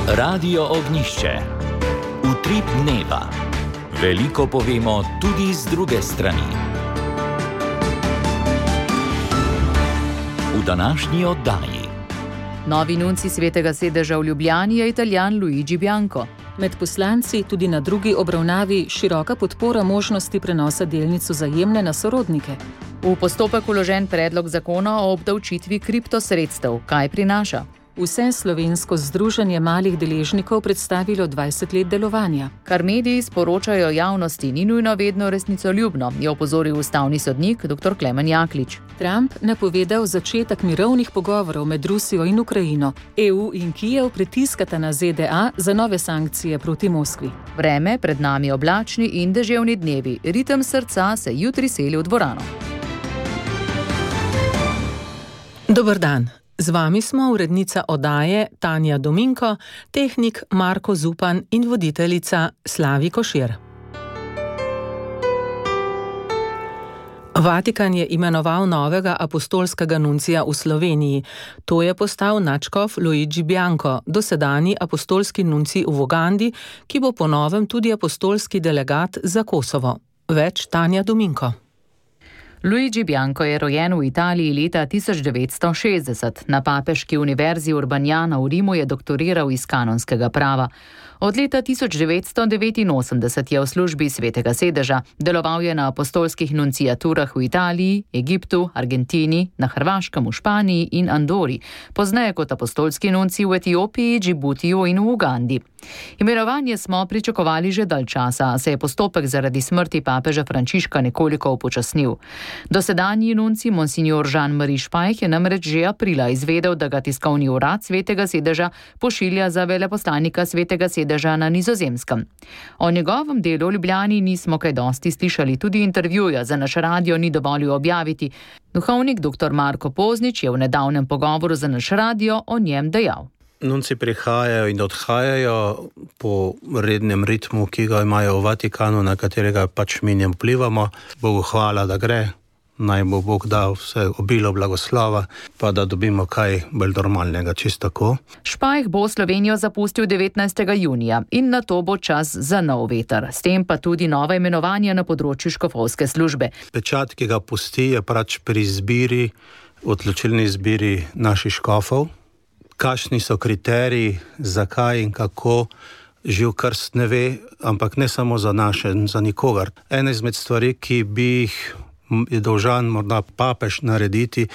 Radio Ognjišče. Utrip dneva. Veliko povemo tudi z druge strani. V današnji oddaji. Novi nunci Svetega sedeža v Ljubljani je Italijan Luigi Bianco. Med poslanci tudi na drugi obravnavi široka podpora možnosti prenosa delnic Vzajemne na sorodnike. V postopek vložen predlog zakona o obdavčitvi kriptosredstev. Kaj prinaša? Vse slovensko združenje malih deležnikov predstavilo 20 let delovanja. Kar mediji sporočajo javnosti, ni nujno vedno resnicoljubno, je opozoril ustavni sodnik dr. Klemen Jaklič. Trump napovedal začetek mirovnih pogovorov med Rusijo in Ukrajino. EU in Kijev pritiskata na ZDA za nove sankcije proti Moskvi. Vreme, pred nami oblačni in deževni dnevi. Ritem srca se jutri seli v dvorano. Dober dan. Z vami smo urednica oddaje Tanja Dominko, tehnik Marko Zupan in voditeljica Slavi Košir. Vatikan je imenoval novega apostolskega nuncija v Sloveniji. To je postal nadškof Luigi Bianco, dosedanji apostolski nuncij v Ugandi, ki bo po novem tudi apostolski delegat za Kosovo. Več Tanja Dominko. Luigi Bianco je rojen v Italiji leta 1960. Na papeški univerzi Urbaniana v Rimu je doktoriral iz kanonskega prava. Od leta 1989 je v službi Svetega sedeža. Deloval je na apostolskih nunciaturah v Italiji, Egiptu, Argentini, na Hrvaškem, v Španiji in Andori. Pozneje kot apostolski nuncij v Etiopiji, Džibutiju in v Ugandi. Imenovanje smo pričakovali že dalj časa, a se je postopek zaradi smrti papeža Frančiška nekoliko upočasnil. Dosedanji nuncij monsignor Jean-Marie Špajh je namreč že aprila izvedel, da ga tiskovni urad Svetega sedeža pošilja za veleposlanika Svetega sedeža na Nizozemskem. O njegovem delu v Ljubljani nismo kaj dosti slišali, tudi intervjuja za naš radio ni dovolil objaviti. Duhovnik dr. Marko Poznič je v nedavnem pogovoru za naš radio o njem dejal. Nunci prihajajo in odhajajo po rednem ritmu, ki ga imajo v Vatikanu, na katerega pač mi ne vplivamo. Bogu hvala, da gre. Naj bo Bog dal vse obilo blagoslova, pa da dobimo kaj bolj normalnega, čisto tako. Špajh bo Slovenijo zapustil 19. junija in na to bo čas za nov veter. S tem pa tudi nova imenovanja na področju škofovske službe. Pečat, ki ga pusti, je pač pri izbiri, odločilni izbiri naših škofov. Kakšni so kriteriji, zakaj in kako, živ krst ne ve, ampak ne samo za naše, za nikogar. Ena izmed stvari, ki bi jih je dolžan morda papež narediti,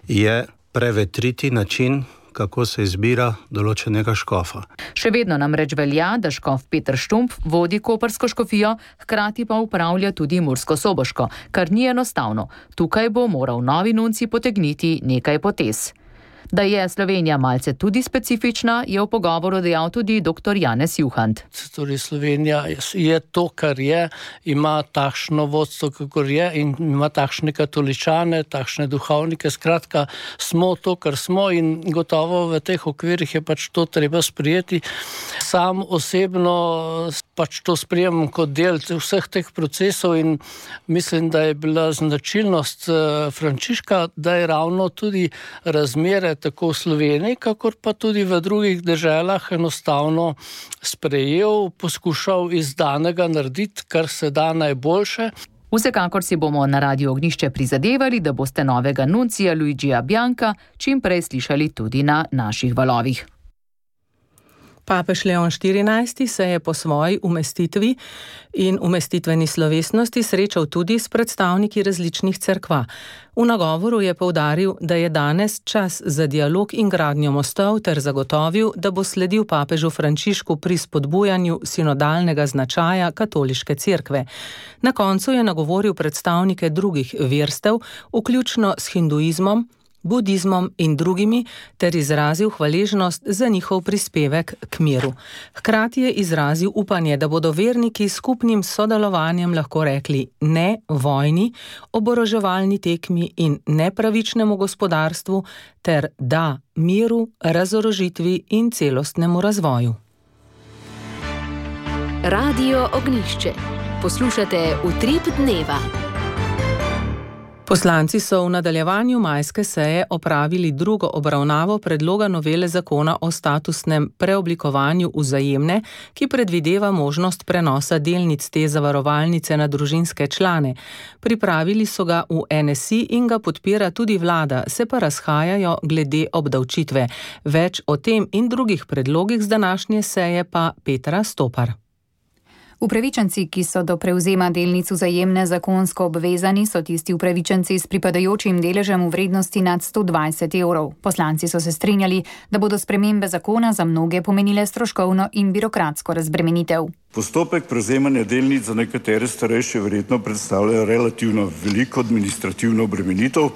je prevetriti način, kako se izbira določenega škofa. Še vedno namreč velja, da škof Peter Štumpf vodi koprsko škofijo, hkrati pa upravlja tudi mursko-soboško, kar ni enostavno. Tukaj bo moral novi nuncij potegniti nekaj potez. Da je Slovenija malce tudi specifična, je v pogovoru dejal tudi dr. Janez Juhant. Torej Slovenija je to, kar je, ima takšno vodstvo, kakor je in ima takšne katoličane, takšne duhovnike. Skratka, smo to, kar smo in gotovo v teh okvirih je pač to treba sprijeti. Sam osebno pač to sprijemam kot del vseh teh procesov in mislim, da je bila značilnost Frančiška, da je ravno tudi razmere tako v Sloveniji, kakor pa tudi v drugih deželah enostavno sprejel, poskušal iz danega narediti, kar se da najboljše. Vsekakor si bomo na Radio Ognjišče prizadevali, da boste novega nuncija Luigija Bianca čim prej slišali tudi na naših valovih. Papež Leon XIV se je po svoji umestitvi in umestitveni slovesnosti srečal tudi s predstavniki različnih cerkva. V nagovoru je poudaril, da je danes čas za dialog in gradnjo mostov ter zagotovil, da bo sledil papežu Frančišku pri spodbujanju sinodalnega značaja katoliške cerkve. Na koncu je nagovoril predstavnike drugih verstev, vključno s hinduizmom, budizmom in drugimi, ter izrazil hvaležnost za njihov prispevek k miru. Hkrati je izrazil upanje, da bodo verniki s skupnim sodelovanjem lahko rekli ne vojni, oboroževalni tekmi in nepravičnemu gospodarstvu, ter da miru, razorožitvi in celostnemu razvoju. Radio Ognjišče. Poslušate Utrip dneva. Poslanci so v nadaljevanju majske seje opravili drugo obravnavo predloga novele zakona o statusnem preoblikovanju Vzajemne, ki predvideva možnost prenosa delnic te zavarovalnice na družinske člane. Pripravili so ga v NSI in ga podpira tudi vlada, se pa razhajajo glede obdavčitve. Več o tem in drugih predlogih z današnje seje pa Petra Stopar. Upravičenci, ki so do prevzema delnic Vzajemne zakonsko obvezani, so tisti upravičenci s pripadajočim deležem v vrednosti nad 120 evrov. Poslanci so se strinjali, da bodo spremembe zakona za mnoge pomenile stroškovno in birokratsko razbremenitev. Postopek prevzemanja delnic za nekatere starejše verjetno predstavlja relativno veliko administrativno obremenitev.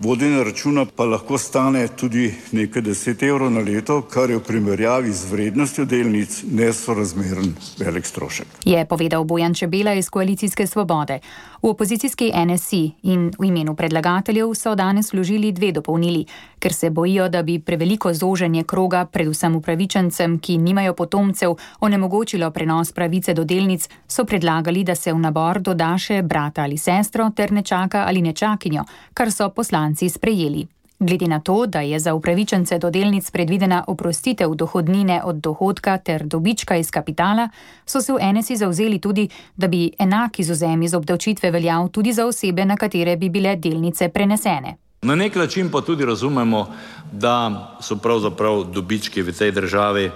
Vodenje računa pa lahko stane tudi nekaj 10 evrov na leto, kar je v primerjavi z vrednostjo delnic nesorazmeren velik strošek. Je povedal Bojan Čebela iz Koalicijske svobode. V opozicijski NSI in v imenu predlagateljev so danes vložili 2 dopolnili, ker se bojijo, da bi preveliko zoženje kroga, predvsem upravičencem, ki nimajo potomcev, onemogočilo prenos pravice do delnic, so predlagali, da se v nabor doda še brata ali sestro ter nečaka ali nečakinjo, kar so poslanci sprejeli. Glede na to, da je za upravičence do delnic predvidena oprostitev dohodnine od dohodka ter dobička iz kapitala, so se v NSI zavzeli tudi, da bi enak izvzem iz obdavčitve veljal tudi za osebe, na katere bi bile delnice prenesene. Na nek način pa tudi razumemo, da so pravzaprav dobički v tej državi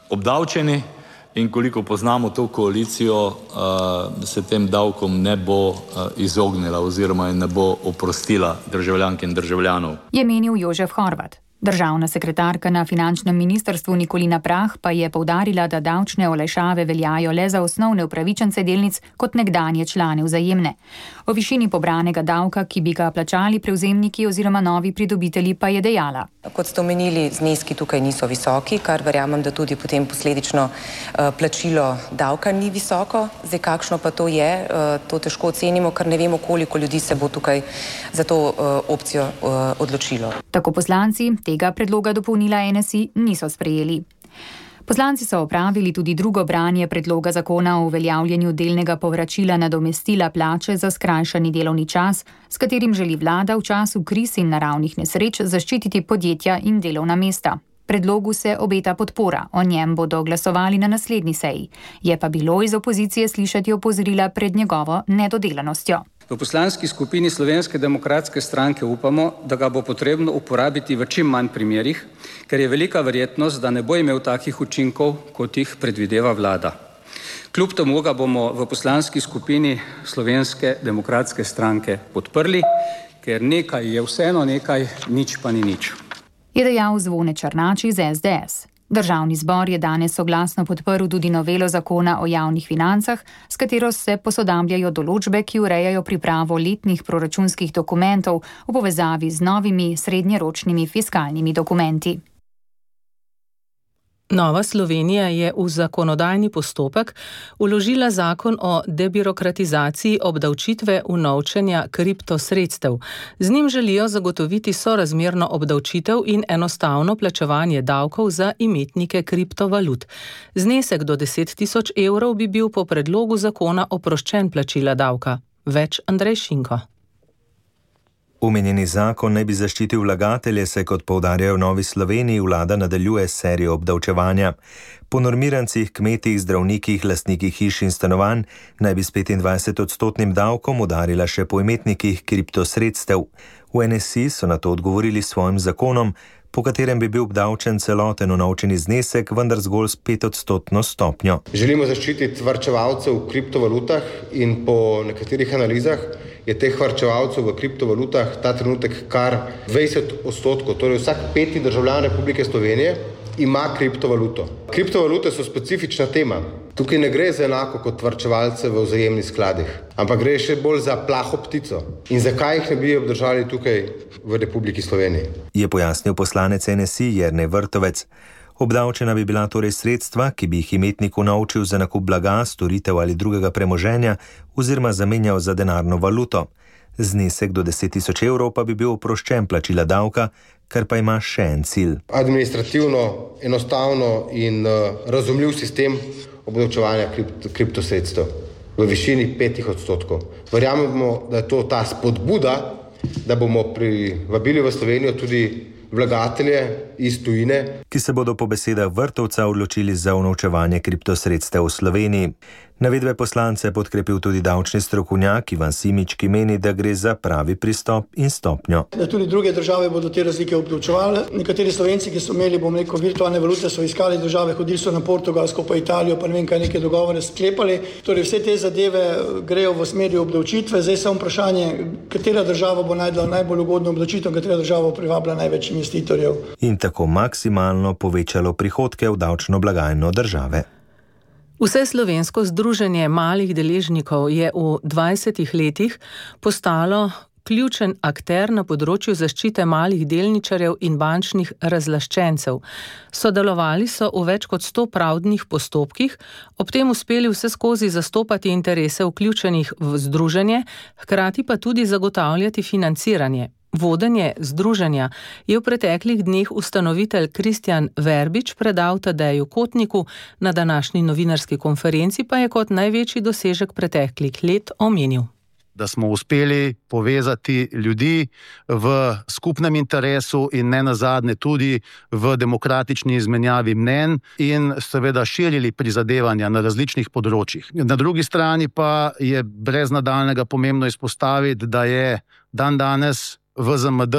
obdavčeni in koliko poznamo to koalicijo, se tem davkom ne bo izognila oziroma ne bo oprostila državljank in državljanov. Je menil Jožef Horvat. Državna sekretarka na finančnem ministrstvu Nikolina Prah pa je poudarila, da davčne olajšave veljajo le za osnovne upravičence delnic kot nekdanje člane Vzajemne. O višini pobranega davka, ki bi ga plačali prevzemniki oziroma novi pridobitelji, pa je dejala. Kot ste omenili, zneski tukaj niso visoki, kar verjamem, da tudi potem posledično plačilo davka ni visoko. Zdaj, kakšno pa to je, to težko ocenimo, ker ne vemo, koliko ljudi se bo tukaj za to opcijo odločilo. Tako poslanci tega predloga dopolnila NSI niso sprejeli. Poslanci so opravili tudi drugo branje predloga zakona o uveljavljanju delnega povračila nadomestila plače za skrajšani delovni čas, s katerim želi vlada v času kriz in naravnih nesreč zaščititi podjetja in delovna mesta. Predlogu se obeta podpora, o njem bodo glasovali na naslednji seji. Je pa bilo iz opozicije slišati opozorila pred njegovo nedodelanostjo. V poslanski skupini Slovenske demokratske stranke upamo, da ga bo potrebno uporabiti v čim manj primerih, ker je velika verjetnost, da ne bo imel takih učinkov, kot jih predvideva vlada. Kljub temu ga bomo v poslanski skupini Slovenske demokratske stranke podprli, ker nekaj je vseeno nekaj, nič pa ni nič. Je dejal Zvone Černač iz SDS. Državni zbor je danes soglasno podprl tudi novelo zakona o javnih financah, s katero se posodabljajo določbe, ki urejajo pripravo letnih proračunskih dokumentov v povezavi z novimi srednjeročnimi fiskalnimi dokumenti. Nova Slovenija je v zakonodajni postopek vložila zakon o debirokratizaciji obdavčitve unovčenja kriptosredstev. Z njim želijo zagotoviti sorazmerno obdavčitev in enostavno plačevanje davkov za imetnike kriptovalut. Znesek do 10.000 evrov bi bil po predlogu zakona oproščen plačila davka. Več Andrej Šinko. Omenjeni zakon naj bi zaščitil vlagatelje, se kot poudarjajo v Novi Sloveniji, vlada nadaljuje serijo obdavčevanja. Po normirancih, kmetih, zdravnikih, lastnikih hiš in stanovanj naj bi s 25% davkom udarila še po imetnikih kriptosredstev. V NSI so na to odgovorili s svojim zakonom, po katerem bi bil obdavčen celoten unovčeni znesek, vendar zgolj s 5% stopnjo. Želimo zaščititi varčevalce v kriptovalutah in po nekaterih analizah je teh varčevalcev v kriptovalutah ta trenutek kar 20%, torej vsak 5. državljan Republike Slovenije ima kriptovaluto. Kriptovalute so specifična tema. Tukaj ne gre za enako kot varčevalce v vzajemnih skladih, ampak gre še bolj za plaho ptico. In zakaj jih ne bi obdržali tukaj v Republiki Sloveniji? Je pojasnil poslanec NSI Jernej Vrtovec. Obdavčena bi bila torej sredstva, ki bi jih imetnik unovčil za nakup blaga, storitev ali drugega premoženja oziroma zamenjal za denarno valuto. Znesek do 10.000 evrov pa bi bil oproščen plačila davka, kar pa ima še en cilj. Administrativno, enostavno in razumljiv sistem obdavčevanja kriptosredstev v višini 5%. Verjamemo, da je to ta spodbuda da bomo privabili v Slovenijo tudi vlagatelje iz tujine, ki se bodo po besedah Vrtovca odločili za unovčevanje kriptosredstev v Sloveniji. Navedbe poslance je podkrepil tudi davčni strokovnjak Ivan Simič, ki meni, da gre za pravi pristop in stopnjo. Da tudi druge države bodo te razlike obdavčevale. Nekateri Slovenci, ki so imeli, virtualne valute, so iskali države, hodili so na Portugalsko, pa Italijo, pa ne vem kaj, neke dogovore sklepali. Torej vse te zadeve grejo v smeri obdavčitve. Zdaj samo vprašanje, katera država bo najdla najbolj ugodno obdavčitev, katera država bo privabila največ investitorjev. In tako maksimalno povečalo prihodke v davčno blagajno države. Vseslovensko združenje malih deležnikov je v 20 letih postalo ključen akter na področju zaščite malih delničarjev in bančnih razlaščencev. Sodelovali so v več kot 100 pravdnih postopkih, ob tem uspeli vseskozi zastopati interese vključenih v združenje, hkrati pa tudi zagotavljati financiranje. Vodenje združenja je v preteklih dneh ustanovitelj Kristjan Verbič predal Tadeju Kotniku, na današnji novinarski konferenci pa je kot največji dosežek preteklih let omenil. Da smo uspeli povezati ljudi v skupnem interesu in nenazadnje tudi v demokratični izmenjavi mnenj in seveda širili prizadevanja na različnih področjih. Na drugi strani pa je brez nadaljnjega pomembno izpostaviti, da je dandanes VZMD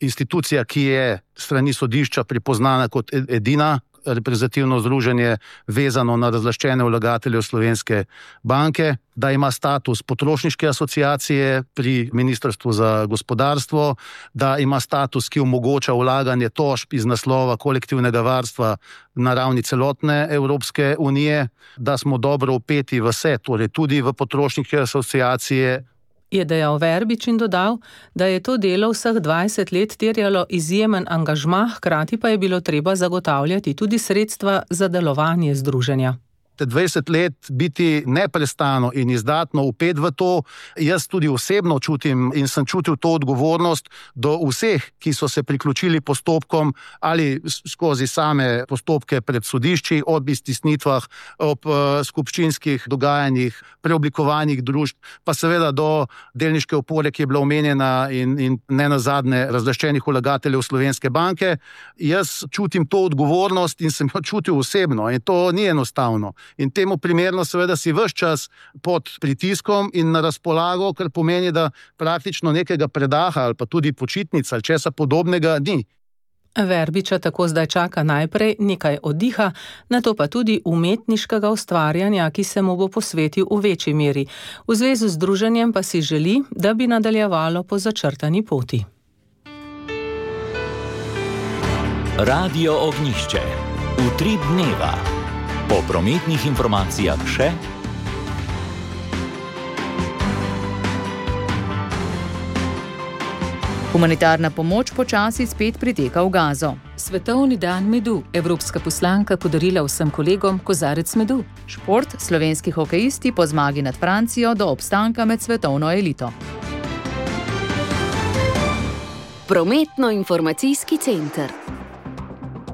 institucija, ki je strani sodišča pripoznana kot edina reprezentativno združenje vezano na razlaščene vlagatelje Slovenske banke, da ima status potrošniške asociacije pri Ministrstvu za gospodarstvo, da ima status, ki omogoča vlaganje tožb iz naslova kolektivnega varstva na ravni celotne Evropske unije, da smo dobro vpeti v vse, torej tudi v potrošniške asociacije, je dejal Verbič in dodal, da je to delo vseh 20 let terjalo izjemen angažma, hkrati pa je bilo treba zagotavljati tudi sredstva za delovanje združenja. 20 let biti neprestano in izdatno vpet v to, jaz tudi osebno čutim in sem čutil to odgovornost do vseh, ki so se priključili postopkom ali skozi same postopke pred sodišči, ob iztisnitvah, ob skupščinskih dogajanjih, preoblikovanjih družb, pa seveda do delniške opore, ki je bila omenjena in nenazadnje razlaščenih vlagateljev Slovenske banke. Jaz čutim to odgovornost in sem jo čutil osebno in to ni enostavno. In temu primerno seveda si ves čas pod pritiskom in na razpolago, kar pomeni, da praktično nekega predaha ali pa tudi počitnica ali česa podobnega ni. Verbiča tako zdaj čaka najprej nekaj oddiha, nato pa tudi umetniškega ustvarjanja, ki se mu bo posvetil v večji meri. V zvezi z združenjem pa si želi, da bi nadaljevalo po začrtani poti. Radio Ognjišče. Utrip dneva. Po prometnih informacijah še. Humanitarna pomoč počasi spet priteka v Gazo. Svetovni dan medu. Evropska poslanka podarila vsem kolegom kozarec medu. Šport. Slovenski hokejisti po zmagi nad Francijo do obstanka med svetovno elito. Prometno-informacijski center.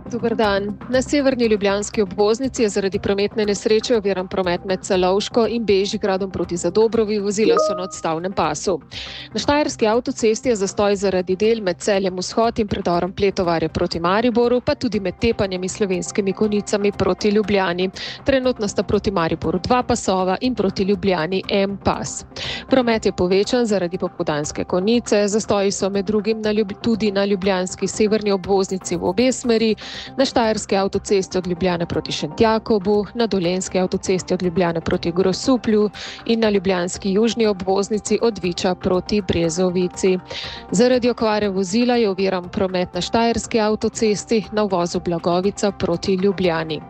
Dober dan. Na severni ljubljanski obvoznici je zaradi prometne nesreče oviran promet med Celovško in Bežigradom proti Zadobrovi, vozila so na odstavnem pasu. Na štajerski avtocesti je zastoj zaradi del med Celjem Vzhod in predorom Pletovarje proti Mariboru, pa tudi med Tepanjem in Slovenskimi Konjicami proti Ljubljani. Trenutno sta proti Mariboru 2 pasova in proti Ljubljani 1 pas. Promet je povečan zaradi popoldanske Konjice, zastoji so med drugim tudi na ljubljanski severni obvoznici v obe smeri, na štajerski avtocesti od Ljubljane proti Šentjakobu, na dolenski avtocesti od Ljubljane proti Grosuplju in na ljubljanski južni obvoznici od Viča proti Brezovici. Zaradi okvare vozila je oviran promet na štajerski avtocesti na uvozu Blagovica proti Ljubljani.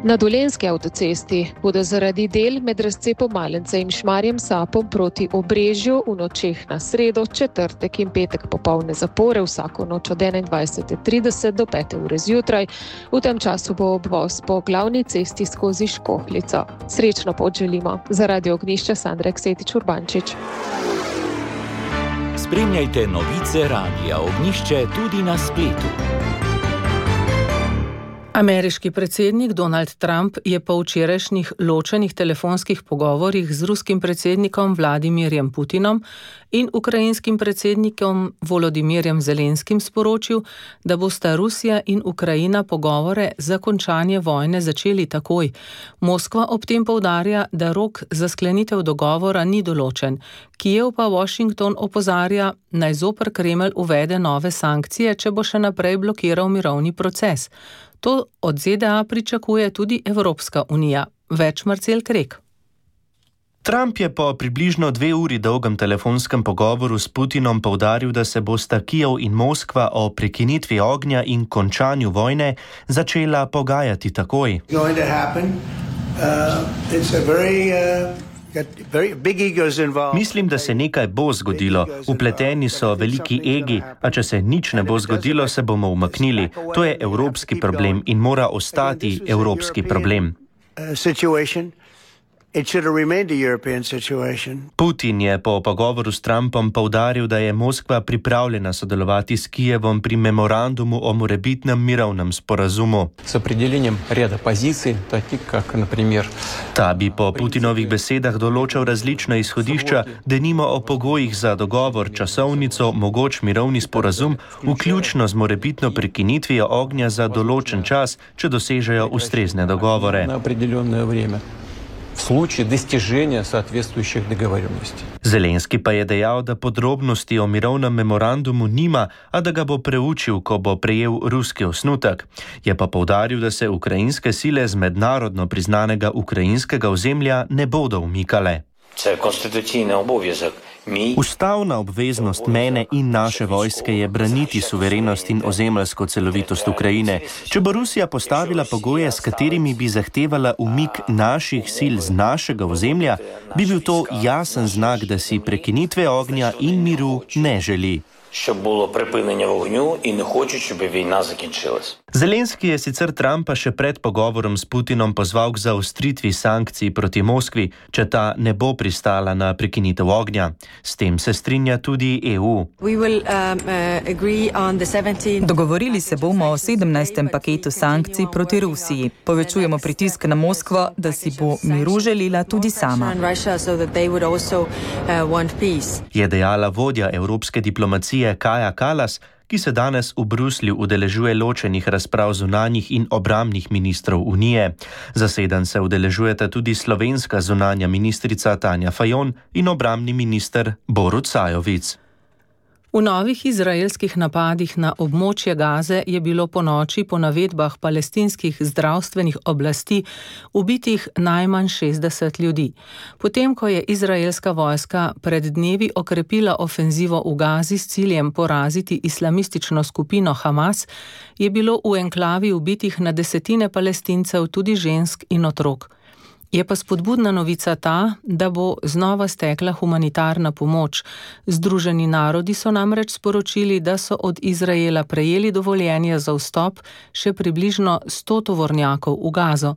Na dolenski avtocesti bodo zaradi del med razcepom Malence in Šmarjem Sapom proti Obrežju v nočeh na sredo, četrtek in petek popolne zapore vsako noč od 21:30 do 5 ure zjutraj. V tem času bo obvoz po glavni cesti skozi Škohljico. Srečno pot želimo. Za Radio Ognjišče Sandra Eksetič Urbančič. Spremljajte novice Radia Ognjišče tudi na spletu. Ameriški predsednik Donald Trump je po včerajšnjih ločenih telefonskih pogovorih z ruskim predsednikom Vladimirjem Putinom in ukrajinskim predsednikom Volodimirjem Zelenskim sporočil, da bosta Rusija in Ukrajina pogovore za končanje vojne začeli takoj. Moskva ob tem poudarja, da rok za sklenitev dogovora ni določen. Kijev pa Washington opozarja, naj zoper Kremelj uvede nove sankcije, če bo še naprej blokiral mirovni proces. To od ZDA pričakuje tudi Evropska unija. Več Marcel Krek. Trump je po približno 2 uri dolgem telefonskem pogovoru s Putinom poudaril, da se bosta Kijev in Moskva o prekinitvi ognja in končanju vojne začela pogajati takoj. Mislim, da se nekaj bo zgodilo. Vpleteni so veliki egi, a če se nič ne bo zgodilo, se bomo umaknili. To je evropski problem in mora ostati evropski problem. Putin je po pogovoru s Trumpom poudaril, da je Moskva pripravljena sodelovati s Kijevom pri memorandumu o morebitnem mirovnem sporazumu. Ta bi po Putinovih besedah določal različna izhodišča, denimo o pogojih za dogovor, časovnico, mogoč mirovni sporazum, vključno z morebitno prekinitvijo ognja za določen čas, če dosežejo ustrezne dogovore. В случае достижения соответствующих договоренностей. Zelenski pa je dejal, da podrobnosti o mirovnem memorandumu nima, a da ga bo preučil, ko bo prejel ruski osnutek. Je pa poudaril, da se ukrajinske sile z mednarodno priznanega ukrajinskega ozemlja ne bodo umikale. Ustavna obveznost mene in naše vojske je braniti suverenost in ozemeljsko celovitost Ukrajine. Če bo Rusija postavila pogoje, s katerimi bi zahtevala umik naših sil z našega ozemlja, bi bil to jasen znak, da si prekinitve ognja in miru ne želi. Щоб було припинення вогню і не хочуть, щоб війна закінчилась. Zelenski je sicer Trumpa še pred pogovorom s Putinom pozval k zaostritvi sankcij proti Moskvi, če ta ne bo pristala na prekinitev ognja. S tem se strinja tudi EU. Dogovorili se bomo o 17. paketu sankcij proti Rusiji. Povečujemo pritisk na Moskvo, da si bo miru želela tudi sama. Je dejala vodja evropske diplomacije Kaja Kallas, ki se danes v Bruslju udeležuje ločenih razprav zunanjih in obrambnih ministrov Unije. Zasedanj se udeležujeta tudi slovenska zunanja ministrica Tanja Fajon in obrambni minister Borut Sajovic. V novih izraelskih napadih na območje Gaze je bilo ponoči po navedbah palestinskih zdravstvenih oblasti ubitih najmanj 60 ljudi. Potem, ko je izraelska vojska pred dnevi okrepila ofenzivo v Gazi s ciljem poraziti islamistično skupino Hamas, je bilo v enklavi ubitih na desetine Palestincev, tudi žensk in otrok. Je pa spodbudna novica ta, da bo znova stekla humanitarna pomoč. Združeni narodi so namreč sporočili, da so od Izraela prejeli dovoljenje za vstop še približno 100 tovornjakov v Gazo.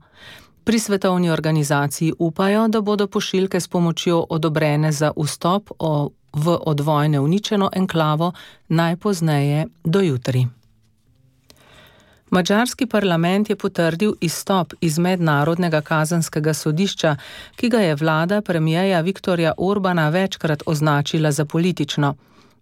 Pri svetovni organizaciji upajo, da bodo pošiljke s pomočjo odobrene za vstop v od vojne uničeno enklavo najpozneje do jutri. Madžarski parlament je potrdil izstop iz Mednarodnega kazenskega sodišča, ki ga je vlada premierja Viktorja Orbana večkrat označila za politično.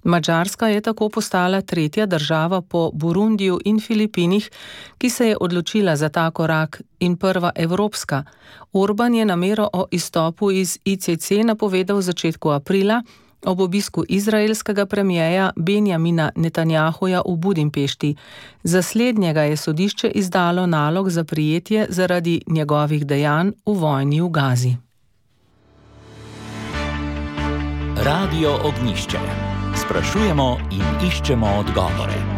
Madžarska je tako postala tretja država po Burundiju in Filipinih, ki se je odločila za ta korak, in prva evropska. Orban je namero o izstopu iz ICC napovedal v začetku aprila, ob obisku izraelskega premierja Benjamina Netanjahuja v Budimpešti. Za slednjega je sodišče izdalo nalog za prijetje zaradi njegovih dejanj v vojni v Gazi. Radio Ognjišče. Sprašujemo in iščemo odgovore.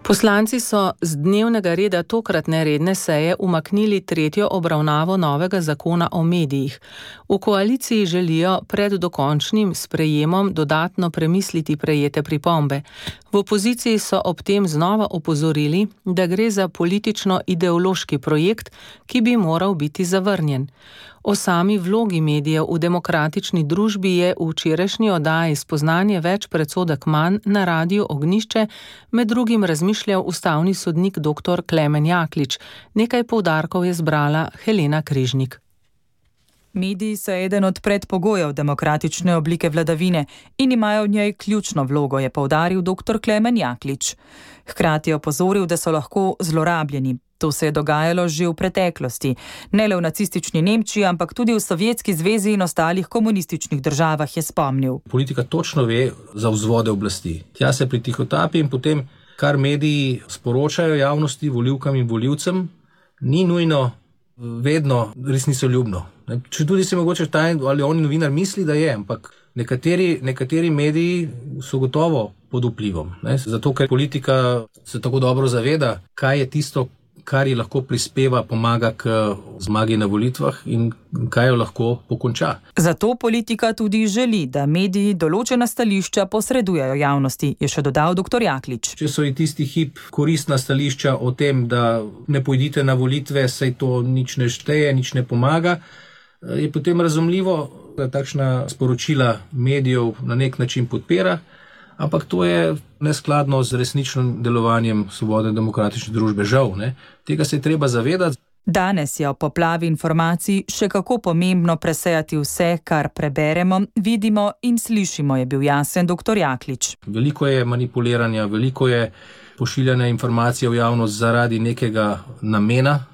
Poslanci so z dnevnega reda tokratne redne seje umaknili tretjo obravnavo novega zakona o medijih. V koaliciji želijo pred dokončnim sprejemom dodatno premisliti prejete pripombe. V opoziciji so ob tem znova opozorili, da gre za politično-ideološki projekt, ki bi moral biti zavrnjen. O sami vlogi medijev v demokratični družbi je v včerajšnji oddaji Spoznanje več predsodek manj na Radiu Ognjišče med drugim razmišljal ustavni sodnik dr. Klemen Jaklič. Nekaj poudarkov je zbrala Helena Križnik. Mediji so eden od predpogojev demokratične oblike vladavine in imajo v njej ključno vlogo, je poudaril dr. Klemen Jaklič. Hkrati je opozoril, da so lahko zlorabljeni. To se je dogajalo že v preteklosti, ne le v nacistični Nemčiji, ampak tudi v Sovjetski zvezi in ostalih komunističnih državah, je spomnil. Politika točno ve za vzvode oblasti. Tja se pritihotapi in potem, kar mediji sporočajo javnosti, volivkam in volivcem, ni nujno vedno resnicoljubno. Če tudi se mogoče ta ali oni novinar misli, da je, ampak nekateri mediji so gotovo pod vplivom. Zato, ker politika se tako dobro zaveda, kaj je tisto, kar ji lahko prispeva, pomaga k zmagi na volitvah in kaj jo lahko pokonča. Zato politika tudi želi, da mediji določena stališča posredujejo javnosti, je še dodal dr. Jaklič. Če so ji tisti hip koristna stališča o tem, da ne pojdite na volitve, saj to nič ne šteje, nič ne pomaga, je potem razumljivo, da takšna sporočila medijev na nek način podpira, ampak to je neskladno z resničnim delovanjem svobodne demokratične družbe, žal. Tega se je treba zavedati. Danes je o poplavi informacij še kako pomembno presejati vse, kar preberemo, vidimo in slišimo, je bil jasen dr. Jaklič. Veliko je manipuliranja, veliko je pošiljanja informacij v javnost zaradi nekega namena.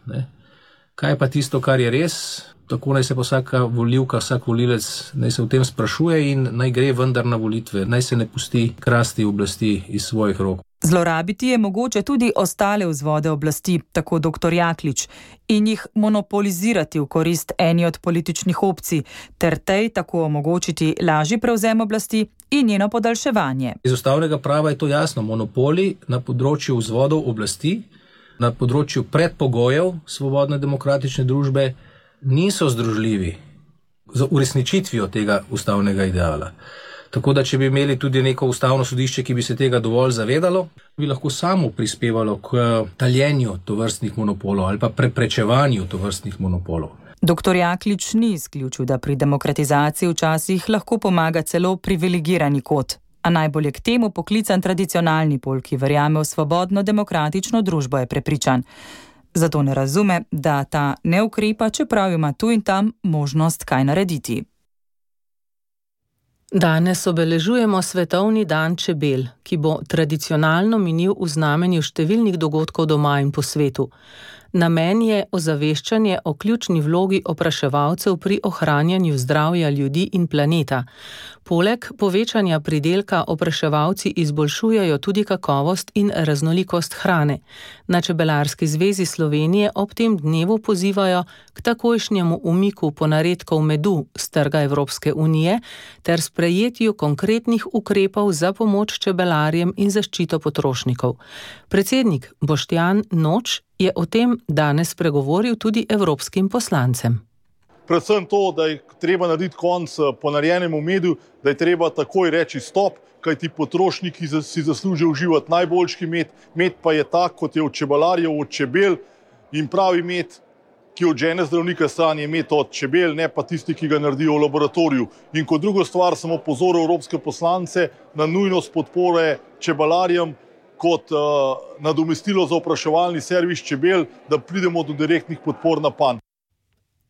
Kaj pa tisto, kar je res? Tako naj se pa vsaka volivka, vsak volilec naj se v tem sprašuje in naj gre vendar na volitve, naj se ne pusti krasti oblasti iz svojih rok. Zlorabiti je mogoče tudi ostale vzvode oblasti, tako dr. Jaklič, in jih monopolizirati v korist eni od političnih opcij, ter tej tako omogočiti lažji prevzem oblasti in njeno podaljševanje. Iz ustavnega prava je to jasno, monopoli na področju vzvodov oblasti, na področju predpogojev svobodne demokratične družbe niso združljivi z uresničitvijo tega ustavnega ideala. Tako da, če bi imeli tudi neko ustavno sodišče, ki bi se tega dovolj zavedalo, bi lahko samo prispevalo k taljenju tovrstnih monopolov ali pa preprečevanju tovrstnih monopolov. Dr. Jaklič ni izključil, da pri demokratizaciji včasih lahko pomaga celo privilegirani kot, a najbolj je k temu poklican tradicionalni pol, ki verjame v svobodno demokratično družbo, je prepričan. Zato ne razume, da ta ne ukrepa, čeprav ima tu in tam možnost kaj narediti. Danes obeležujemo Svetovni dan čebel, ki bo tradicionalno minil v znamenju številnih dogodkov doma in po svetu. Namen je ozaveščanje o ključni vlogi opraševalcev pri ohranjanju zdravja ljudi in planeta. Poleg povečanja pridelka opraševalci izboljšujejo tudi kakovost in raznolikost hrane. Na Čebelarski zvezi Slovenije ob tem dnevu pozivajo k takojšnjemu umiku ponaredkov medu s trga Evropske unije ter sprejetju konkretnih ukrepov za pomoč čebelarjem in zaščito potrošnikov. Predsednik Boštjan Noč je o tem danes spregovoril tudi evropskim poslancem. Predvsem to, da je treba narediti konc ponarejenemu medu, da je treba takoj reči stop, kajti potrošniki si zaslužijo uživati najboljši med. Med pa je tak, kot je od čebelarjev, od čebel, in pravi med, ki od žene zdravnika stran, je med od čebel, ne pa tisti, ki ga naredijo v laboratoriju. In kot drugo stvar sem opozoril evropske poslance na nujnost podpore čebelarjem kot nadomestilo za opraševalni servis čebel, da pridemo do direktnih podpor na panj.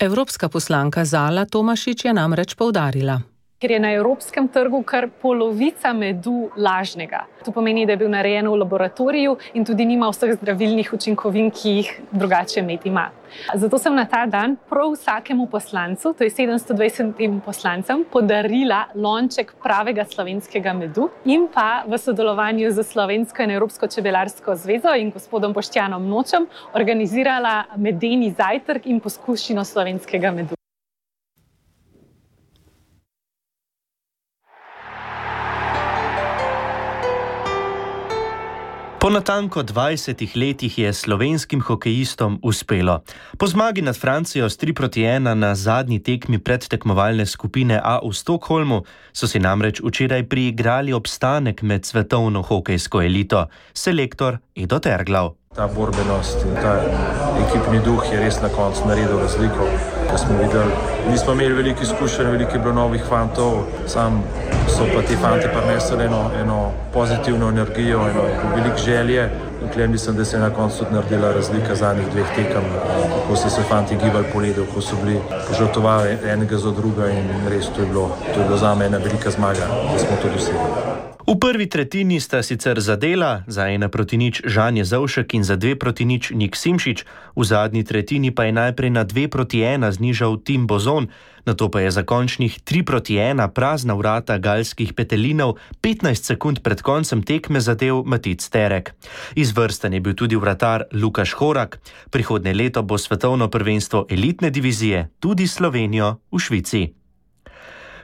Evropska poslanka Zala Tomašič je namreč poudarila. Ker je na evropskem trgu kar polovica medu lažnega. To pomeni, da je bil narejen v laboratoriju in tudi nima vseh zdravilnih učinkovin, ki jih drugače med ima. Zato sem na ta dan prav vsakemu poslancu, to je 720 poslancem, podarila lonček pravega slovenskega medu in pa v sodelovanju z Slovensko in Evropsko čebelarsko zvezo in gospodom Boštjanom Nočem organizirala medeni zajtrk in poskušino slovenskega medu. Po natanko 20 letih je slovenskim hokejistom uspelo. Po zmagi nad Francijo s 3-1 na zadnji tekmi predtekmovalne skupine A v Stockholmu so si namreč včeraj priigrali obstanek med svetovno hokejsko elito, selektor Edo Terglav. Ta borbenost in ta ekipni duh je res na koncu naredil razliko. Da smo videli, nismo imeli veliko izkušenj, veliko je bilo novih fantov, sam so pa ti fanti prinesli eno pozitivno energijo, eno veliko želje. Dokler mislim, da se je na koncu tudi naredila razlika zadnjih 2 tekem, kako so se fanti gibali po ledu, ko so bili požrtvovali enega za druga in res to je bilo zame ena velika zmaga, da smo to dosegli. V prvi tretjini sta sicer zadela, za 1-0 Žan Jezovšek in za 2-0 Nik Simšič, v zadnji tretjini pa je najprej na 2-1 znižal Tim Bozon, nato pa je za končnih 3-1 prazna vrata galskih petelinov 15 sekund pred koncem tekme zadel Matic Terek. Izvrsten je bil tudi vratar Lukaš Horak. Prihodnje leto bo svetovno prvenstvo elitne divizije tudi Slovenijo v Švici.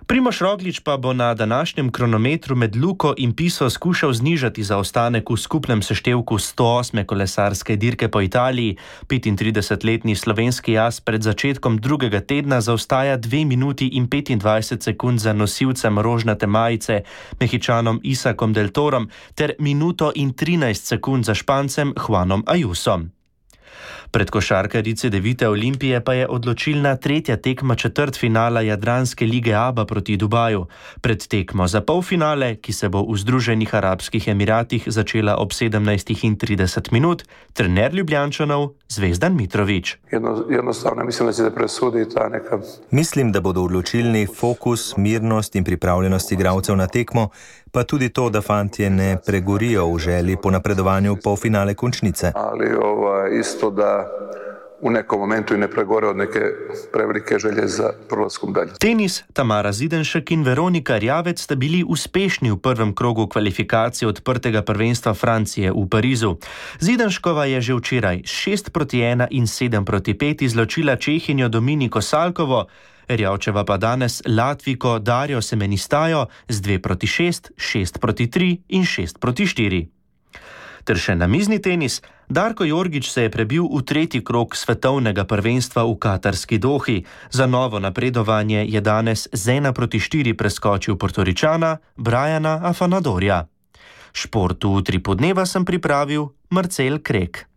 Primož Roglič pa bo na današnjem kronometru med Luko in Piso skušal znižati zaostanek v skupnem seštevku 108. kolesarske dirke po Italiji. 35-letni slovenski jaz pred začetkom drugega tedna zaostaja 2 minuti in 25 sekund za nosilcem rožnate majice Mehičanom Isakom Del Torom ter minuto in 13 sekund za Špancem Juanom Ayusom. Pred košarkarice Devite Olimpije pa je odločilna 3. tekma četrtfinala Jadranske lige ABA proti Dubaju. Pred tekmo za polfinale, ki se bo v Združenih arabskih Emiratih začela ob 17:30, trener Ljubljančanov Zvezdan Mitrović. Jednostavno mislim, da se presudi ta neka. Mislim, da bodo odločilni fokus, mirnost in pripravljenost igralcev na tekmo, pa tudi to, da fantje ne pregorijo v želji po napredovanju v polfinale končnice. Ali isto da u nekom momentu i ne pregore od neke prevelike želje za prolaskom dalje. Tenis, Tamara Zidenšek in Veronika Rjavec sta bili uspešni v prvem krogu kvalifikacije odprtega prvenstva Francije v Parizu. Zidenškova je že včeraj 6-1 in 7-5 izločila Čehinjo Dominiko Salkovo, Rjavčeva pa danes Latvijko Darjo Semenistajo z 2-6, 6-3 in 6-4. Ter še namizni tenis, Darko Jorgić se je prebil v 3. krog svetovnega prvenstva v katarski Dohi. Za novo napredovanje je danes z 1-4 preskočil Portoričana Briana Afanadorja. Športu v Utripu dneva sem pripravil Marcel Krek.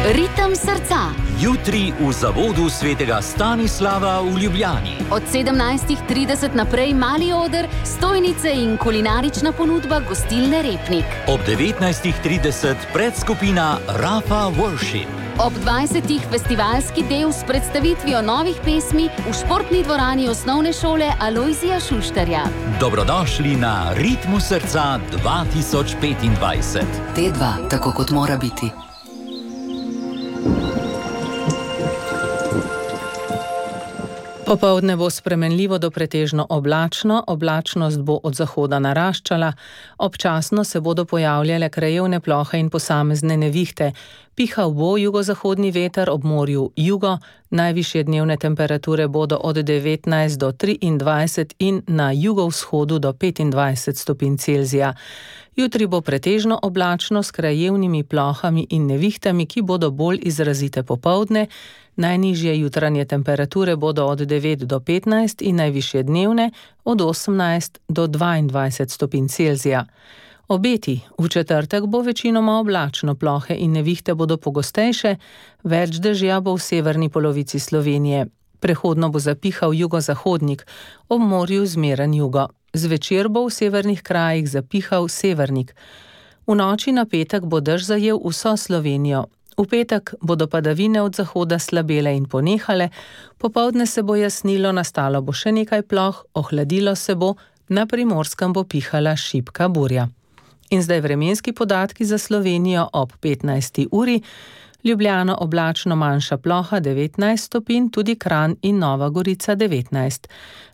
Ritem srca. Jutri v zavodu svetega Stanislava v Ljubljani. Od 17:30 naprej mali oder, stojnice in kulinarična ponudba gostilne Repnik. Ob 19:30 predskupina Rafa Worship. Ob 20:00 festivalski del s predstavitvijo novih pesmi v športni dvorani osnovne šole Alojzija Šuštarja. Dobrodošli na Ritmu srca 2025. T2, tako kot mora biti. Popoldne bo spremenljivo do pretežno oblačno, oblačnost bo od zahoda naraščala, občasno se bodo pojavljale krajevne plohe in posamezne nevihte. Pihal bo jugozahodni veter, ob morju jugo, najvišje dnevne temperature bodo od 19 do 23 in na jugovzhodu do 25 stopinj Celzija. Jutri bo pretežno oblačno s krajevnimi plohami in nevihtami, ki bodo bolj izrazite popoldne. Najnižje jutranje temperature bodo od 9 do 15 in najvišje dnevne od 18 do 22 stopinj Celzija. Obeti: v četrtek bo večinoma oblačno, plohe in nevihte bodo pogostejše, več dežja bo v severni polovici Slovenije. Prehodno bo zapihal jugozahodnik, ob morju zmeren jugo. Zvečer bo v severnih krajih zapihal severnik. V noči na petek bo dež zajel vso Slovenijo. V petek bodo padavine od zahoda slabele in ponehale, popoldne se bo jasnilo, nastalo bo še nekaj ploh, ohladilo se bo, na Primorskem bo pihala šibka burja. In zdaj vremenski podatki za Slovenijo ob 15. uri. Ljubljana oblačno, manjša ploha 19 stopinj, tudi Kranj in Nova Gorica 19.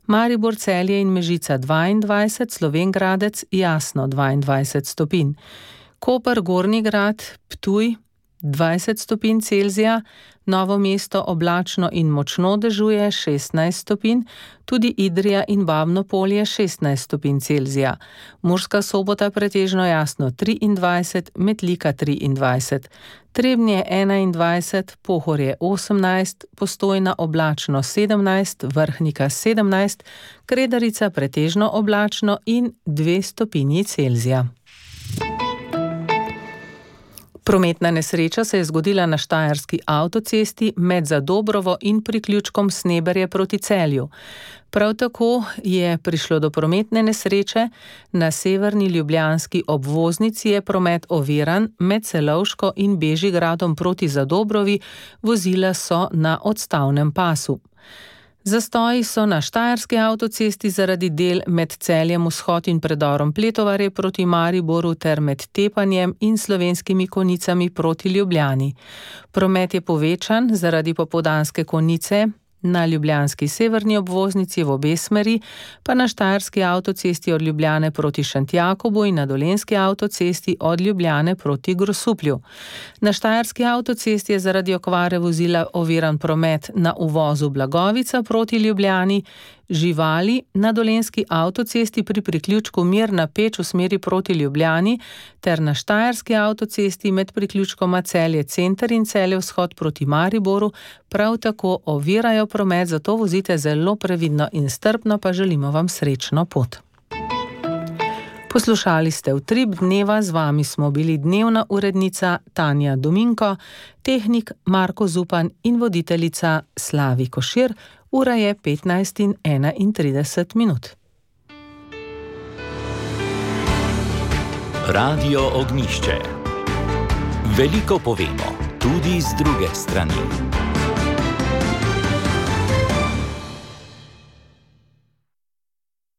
Maribor, Celje in Mežica 22, Slovenj Gradec jasno 22 stopinj. Koper, Gornji Grad, Ptuj 20 stopinj Celzija, Novo mesto oblačno in močno dežuje 16 stopinj, tudi Idrija in Babno Polje 16 stopinj Celzija, Murska Sobota pretežno jasno 23, Metlika 23, Trebnje 21, Pohorje 18, Postojna oblačno 17, Vrhnika 17, Kredarica pretežno oblačno in 2 stopinji Celzija. Prometna nesreča se je zgodila na štajerski avtocesti med Zadobrovo in priključkom Sneberje proti Celju. Prav tako je prišlo do prometne nesreče na severni ljubljanski obvoznici, je promet oviran med Celovško in Bežigradom proti Zadobrovi, vozila so na odstavnem pasu. Zastoji so na štajerski avtocesti zaradi del med Celjem Vzhod in predorom Pletovarje proti Mariboru ter med Tepanjem in Slovenskimi Konjicami proti Ljubljani. Promet je povečan zaradi popoldanske konice na ljubljanski severni obvoznici v obe smeri, pa na štajerski avtocesti od Ljubljane proti Šentjakobu in na dolenjski avtocesti od Ljubljane proti Grosuplju. Na štajerski avtocesti je zaradi okvare vozila oviran promet na uvozu Blagovica proti Ljubljani, živali na dolenjski avtocesti pri priključku Mirna Peč v smeri proti Ljubljani ter na štajerski avtocesti med priključkoma Celje Center in Celje Vzhod proti Mariboru prav tako ovirajo promet, zato vozite zelo previdno in strpno, pa želimo vam srečno pot. Poslušali ste Utrip dneva, z vami smo bili dnevna urednica Tanja Dominko, tehnik Marko Zupan in voditeljica Slavi Košir. Ura je 15:31. Radio Ognjišče. Veliko povemo, tudi z druge strani.